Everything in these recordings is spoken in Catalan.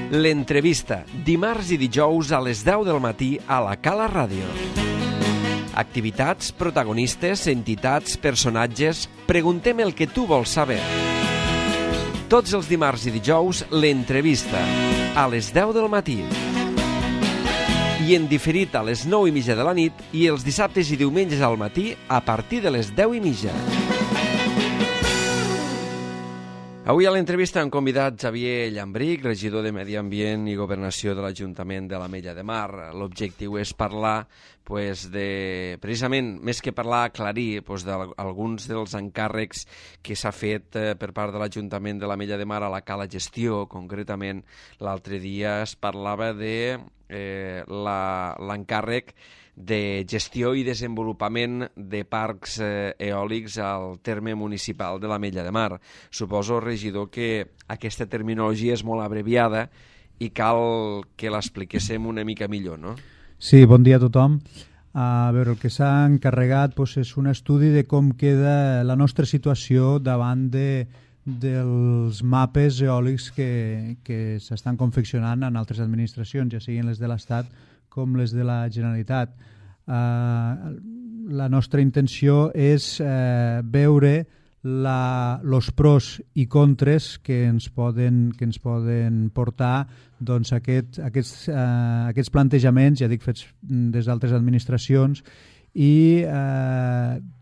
L'entrevista, dimarts i dijous a les 10 del matí a la Cala Ràdio. Activitats, protagonistes, entitats, personatges... Preguntem el que tu vols saber. Tots els dimarts i dijous, l'entrevista, a les 10 del matí. I en diferit a les 9:30 de la nit i els dissabtes i diumenges al matí a partir de les 10:30. Avui a l'entrevista hem convidat Xavier Llambrich, regidor de Medi Ambient i Governació de l'Ajuntament de l'Ametlla de Mar. L'objectiu és parlar, precisament, més que parlar, aclarir d'alguns dels encàrrecs que s'ha fet per part de l'Ajuntament de l'Ametlla de Mar a la Cala Gestió. Concretament, l'altre dia es parlava de l'encàrrec de gestió i desenvolupament de parcs eòlics al terme municipal de l'Ametlla de Mar. Suposo, regidor, que aquesta terminologia és molt abreviada i cal que l'expliquéssim una mica millor, no? Sí, bon dia a tothom. A veure, el que s'ha encarregat és un estudi de com queda la nostra situació davant dels mapes eòlics que s'estan confeccionant en altres administracions, ja siguin les de l'Estat com les de la Generalitat. La nostra intenció és veure els pros i contres que ens poden portar aquests plantejaments, ja dic, fets des d'altres administracions, i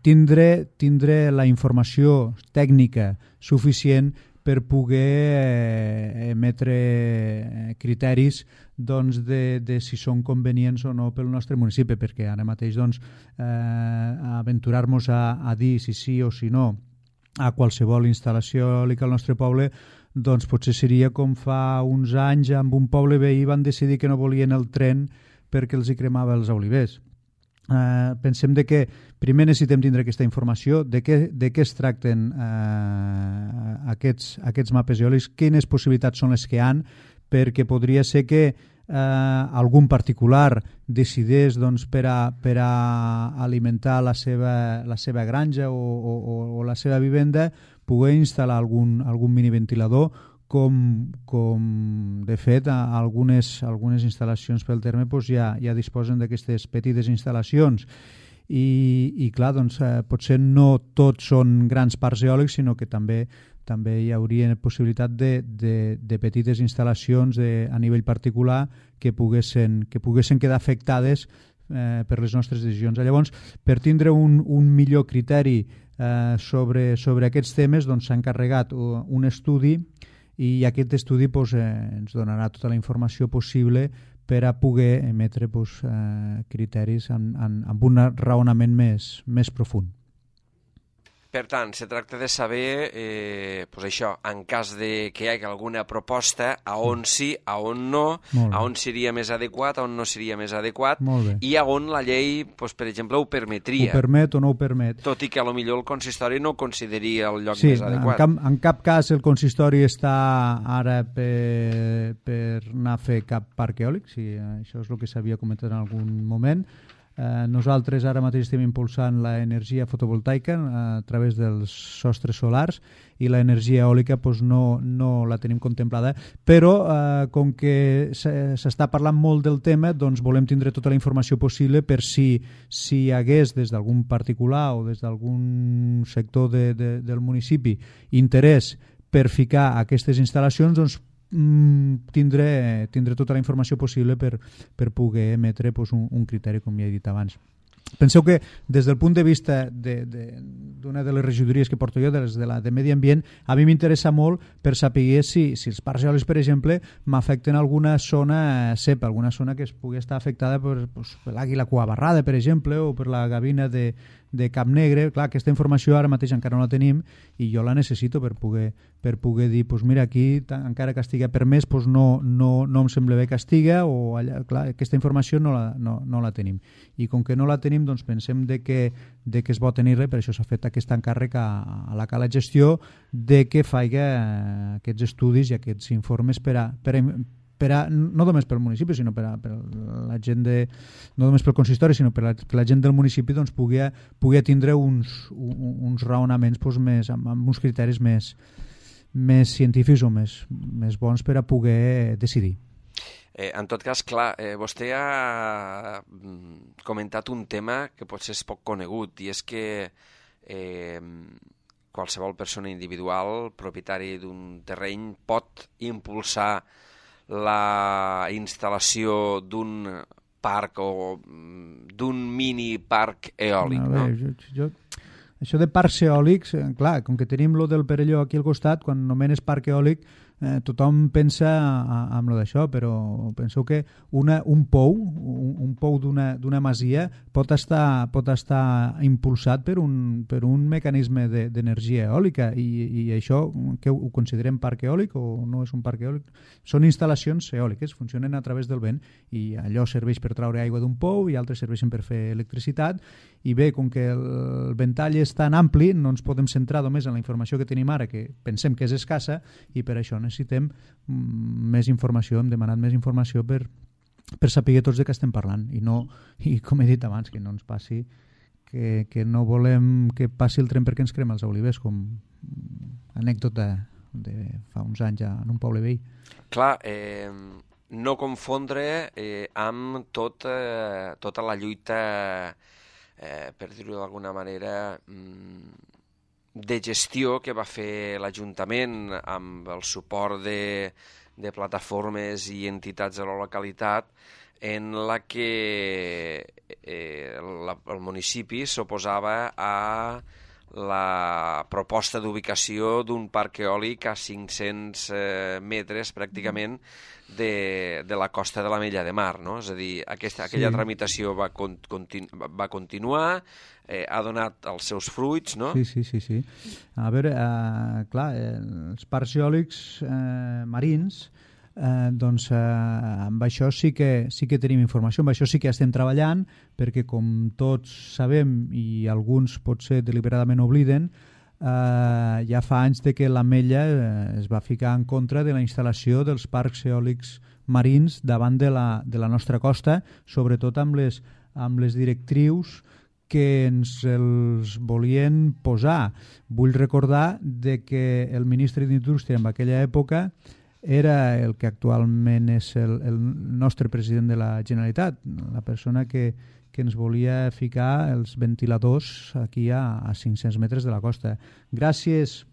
tindre la informació tècnica suficient per poder emetre criteris de si són convenients o no pel nostre municipi, perquè ara mateix aventurar-nos a dir si sí o si no a qualsevol instal·lació eòlica al nostre poble, potser seria com fa uns anys amb un poble veí van decidir que no volien el tren perquè els hi cremava els olivers. Pensem que primer necessitem tindre aquesta informació, de què es tracten aquests mapes eòlics, quines possibilitats són les que hi ha, perquè podria ser que algun particular decideix per a alimentar la seva granja o la seva vivenda poder instal·lar algun miniventilador, com de fet algunes instal·lacions pel terme ja disposen d'aquestes petites instal·lacions. I clar, potser no tots són grans parcs eòlics, sinó que també hi hauria possibilitat de petites instal·lacions a nivell particular que poguessin quedar afectades per les nostres decisions. Llavors, per tindre un millor criteri sobre aquests temes, s'ha encarregat un estudi, i aquest estudi ens donarà tota la informació possible per a poder emetre criteris amb un raonament més profund. Per tant, se tracta de saber, això, en cas de que hi hagi alguna proposta, a on sí, a on no, a on seria més adequat, a on no seria més adequat, i a on la llei, per exemple, ho permetria. Ho permet o no ho permet. Tot i que potser el consistori no consideraria el lloc més adequat. Sí, en cap cas el consistori està ara per anar a fer cap parc eòlic, si això és el que s'havia comentat en algun moment. Nosaltres ara mateix estem impulsant l'energia fotovoltaica a través dels sostres solars i l'energia eòlica no la tenim contemplada, però com que s'està parlant molt del tema, volem tindre tota la informació possible per si hi hagués des d'algun particular o des d'algun sector del municipi interès per ficar aquestes instal·lacions, tindre tota la informació possible per poder emetre un criteri, com ja he dit abans. Penseu que des del punt de vista d'una de les regidories que porto jo, de Medi Ambient, a mi m'interessa molt per saber si els parcs eòlics, per exemple, m'afecten alguna zona CEP, alguna zona que es pugui estar afectada per l'àguila cuabarrada, per exemple, o per la gavina de Cap Negre. Clar, aquesta informació ara mateix encara no la tenim i jo la necessito per poder dir, mira, aquí encara que estigui permès, no em sembla bé que estigui, o allà, clar, aquesta informació no la tenim. I com que no la tenim, pensem que es bo tenir-la, per això s'ha fet aquest encàrrec a la Cala Gestió que faci aquests estudis i aquests informes no només pel municipi, sinó per la gent no només pel consistori, sinó per la gent del municipi pugui tindre uns raonaments amb uns criteris més més científics o més bons per a poder decidir. En tot cas, clar, vostè ha comentat un tema que potser és poc conegut, i és que qualsevol persona individual, propietari d'un terreny, pot impulsar la instal·lació d'un parc o d'un mini parc eòlic, no? Això de parcs eòlics, clar, com que tenim lo del Perelló aquí al costat, quan nomenes parc eòlic tothom pensa en lo d'això, però penseu que un pou d'una masia pot estar impulsat per un mecanisme d'energia eòlica, i això que ho considerem parc eòlic o no és un parc eòlic? Són instal·lacions eòliques, funcionen a través del vent, i allò serveix per traure aigua d'un pou i altres serveixen per fer electricitat. I bé, com que el ventall és tan ampli, no ens podem centrar només en la informació que tenim ara, que pensem que és escassa, i per això necessitem més informació, hem demanat més informació per saber tots de què estem parlant, i com he dit abans, que no ens passi que no volem que passi el tren perquè ens crema els olivers, com anècdota de fa uns anys en un poble veí. Clar, no confondre amb tota la lluita, per dir-ho d'alguna manera, de gestió que va fer l'Ajuntament amb el suport de plataformes i entitats de la localitat, en la que el municipi s'oposava a la proposta d'ubicació d'un parc eòlic a 500 metres pràcticament de la costa de l'Ametlla de Mar, no? És a dir, aquella tramitació va continuar, ha donat els seus fruits, no? Sí. A veure, clar, els parcs eòlics marins, doncs amb això sí que tenim informació, amb això sí que estem treballant, perquè com tots sabem, i alguns potser deliberadament obliden, ja fa anys que l'Ametlla es va ficar en contra de la instal·lació dels parcs eòlics marins davant de la nostra costa, sobretot amb les directrius que ens els volien posar. Vull recordar que el ministre d'Indústria en aquella època era el que actualment és el nostre president de la Generalitat, la persona que ens volia ficar els ventiladors aquí a 500 metres de la costa. Gràcies,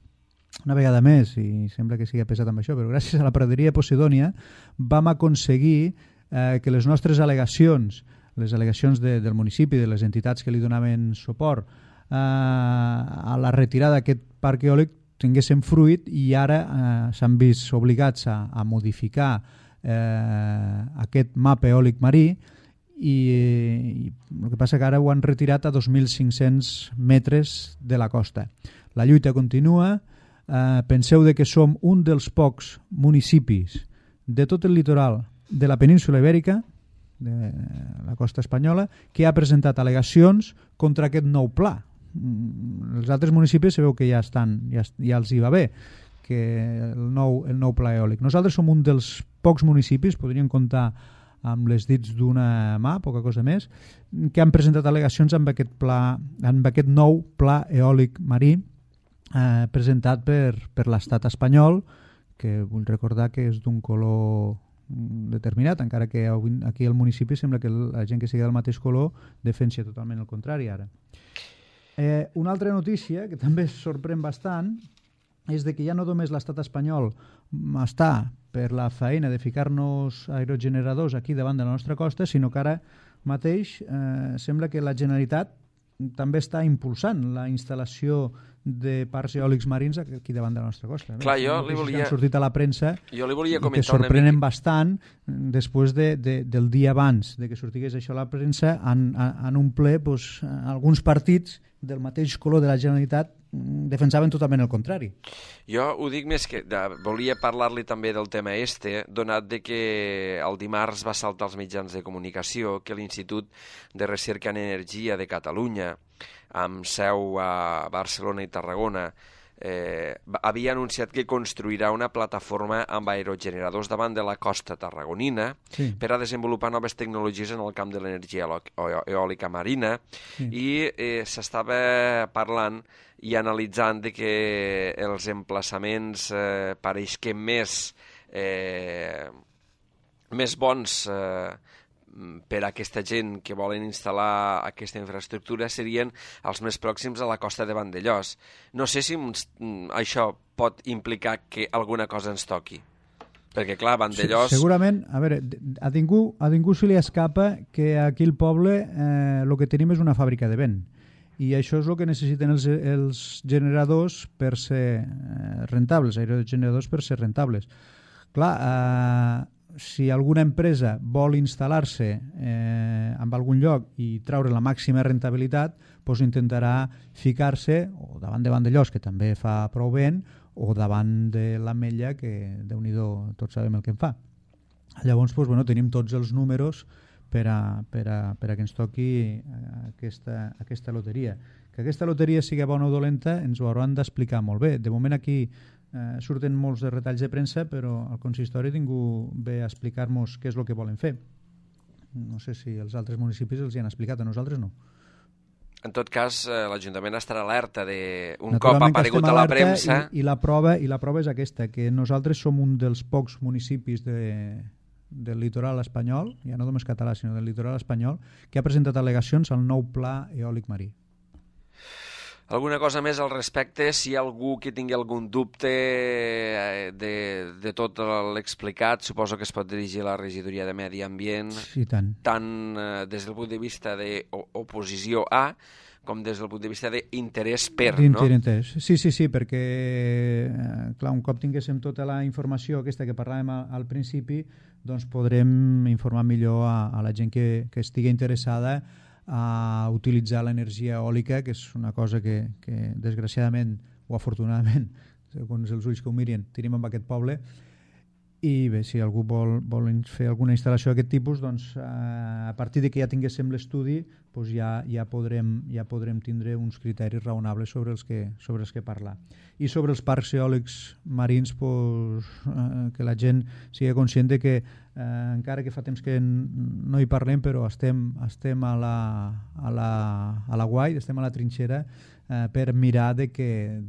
una vegada més, i sembla que sigui pesat amb això, però gràcies a la praderia Posidònia vam aconseguir que les nostres al·legacions, les al·legacions del municipi, de les entitats que li donaven suport a la retirada d'aquest parc eòlic, tinguessin fruit, i ara s'han vist obligats a modificar aquest mapa eòlic marí, i el que passa que ara ho han retirat a 2.500 metres de la costa. La lluita continua. Penseu que som un dels pocs municipis de tot el litoral de la península Ibèrica, de la costa espanyola, que ha presentat al·legacions contra aquest nou pla. Els altres municipis sabeu que ja els hi va bé que el nou pla eòlic. Nosaltres som un dels pocs municipis, podríem comptar amb les dits d'una mà, poca cosa més, que han presentat al·legacions amb aquest nou pla eòlic marí presentat per l'estat espanyol, que vull recordar que és d'un color determinat, encara que aquí al municipi sembla que la gent que sigui del mateix color defensa totalment el contrari ara. Una altra notícia que també sorprèn bastant és que ja no només l'estat espanyol està per la feina de ficar-nos aerogeneradors aquí davant de la nostra costa, sinó que ara mateix sembla que la Generalitat també està impulsant la instal·lació de parcs eòlics marins aquí davant de la nostra costa. Clar, jo li volia... Han sortit a la premsa que sorprenen bastant després del dia abans de que sortigués això a la premsa, en un ple alguns partits del mateix color de la Generalitat defensaven totalment el contrari. Jo ho dic més que volia parlar-li també del tema donat que el dimarts va saltar als mitjans de comunicació que l'Institut de Recerca en Energia de Catalunya, amb seu a Barcelona i Tarragona, havia anunciat que construirà una plataforma amb aerogeneradors davant de la costa tarragonina per a desenvolupar noves tecnologies en el camp de l'energia eòlica marina i s'estava parlant i analitzant de que els emplaçaments pareix que més bons per a aquesta gent que volen instal·lar aquesta infraestructura serien els més pròxims a la costa de Vandellòs. No sé si això pot implicar que alguna cosa ens toqui. Perquè, clar, Vandellòs... Segurament, a veure, a ningú se li escapa que aquí al poble el que tenim és una fàbrica de vent. I això és el que necessiten els generadors per ser rentables, aerogeneradors per ser rentables. Clar, si alguna empresa vol instal·lar-se en algun lloc i treure la màxima rentabilitat, doncs intentarà ficar-se o davant de Vandellòs, que també fa prou vent, o davant de l'Ametlla, que Déu-n'hi-do, tots sabem el que en fa. Llavors, doncs, bueno, tenim tots els números per a que ens toqui aquesta loteria. Que aquesta loteria sigui bona o dolenta ens ho hauran d'explicar molt bé. De moment aquí surten molts de retalls de premsa, però el consistori ningú ve a explicar-nos què és el que volen fer. No sé si els altres municipis els hi han explicat, a nosaltres no. En tot cas, l'Ajuntament estarà alerta d'un cop ha aparegut a la premsa. I la prova és aquesta, que nosaltres som un dels pocs municipis del litoral espanyol, ja no només català, sinó del litoral espanyol, que ha presentat al·legacions al nou pla eòlic marí. Alguna cosa més al respecte? Si hi ha algú que tingui algun dubte de tot l'explicat, suposo que es pot dirigir a la regidoria de Medi Ambient, sí, tant des del punt de vista d'oposició a, com des del punt de vista d'interès per, no? Sí, perquè clar, un cop tinguéssim tota la informació aquesta que parlàvem al principi, doncs podrem informar millor a la gent que estigui interessada a utilitzar l'energia eòlica, que és una cosa que desgraciadament o afortunadament, segons els ulls que ho mirin, tenim en aquest poble. I bé, si algú vol fer alguna instal·lació d'aquest tipus, doncs a partir de que ja tinguéssim l'estudi, doncs ja podrem tindre uns criteris raonables sobre els que parlar. I sobre els parcs eòlics marins, doncs, que la gent sigui conscient de que encara que fa temps que no hi parlem, però estem a la guai, estem a la trinxera per mirar de que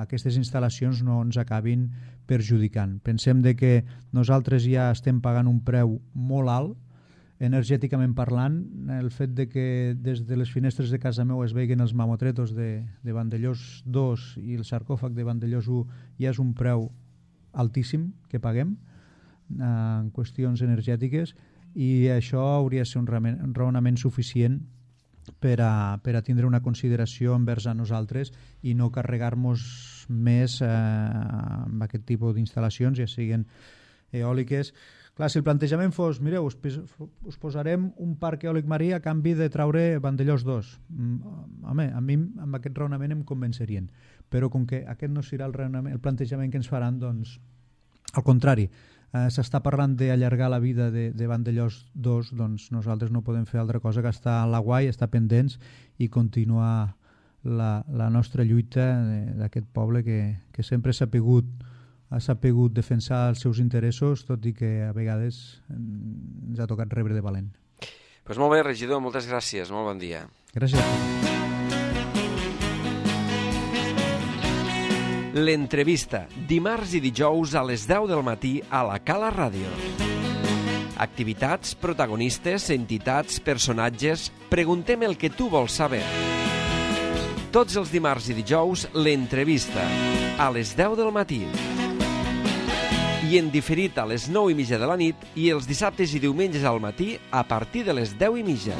aquestes instal·lacions no ens acabin perjudicant. Pensem de que nosaltres ja estem pagant un preu molt alt, energèticament parlant. El fet de que des de les finestres de casa meu es veien els mamotretos de Vandellòs 2 i el sarcòfag de Vandellòs 1 ja és un preu altíssim que paguem en qüestions energètiques, i això hauria de ser un raonament suficient per a tindre una consideració envers a nosaltres i no carregar-nos més amb aquest tipus d'instal·lacions, ja siguin eòliques. Clar, si el plantejament fos, mireu, us posarem un parc eòlic marí a canvi de traure Vandellòs 2. Home, a mi amb aquest raonament em convencerien, però com que aquest no serà el plantejament que ens faran, doncs, al contrari, s'està parlant d'allargar la vida de Vandellòs 2, doncs nosaltres no podem fer altra cosa que estar a la guai, estar pendents i continuar la nostra lluita d'aquest poble que sempre s'ha sapigut defensar els seus interessos, tot i que a vegades ens ha tocat rebre de valent. Doncs molt bé, regidor, moltes gràcies, molt bon dia. Gràcies. L'entrevista, dimarts i dijous a les 10 del matí a la Cala Ràdio. Activitats, protagonistes, entitats, personatges... Preguntem el que tu vols saber. Tots els dimarts i dijous, l'entrevista, a les 10 del matí. I en diferit a les 9:30 de la nit i els dissabtes i diumenges al matí a partir de les 10:30.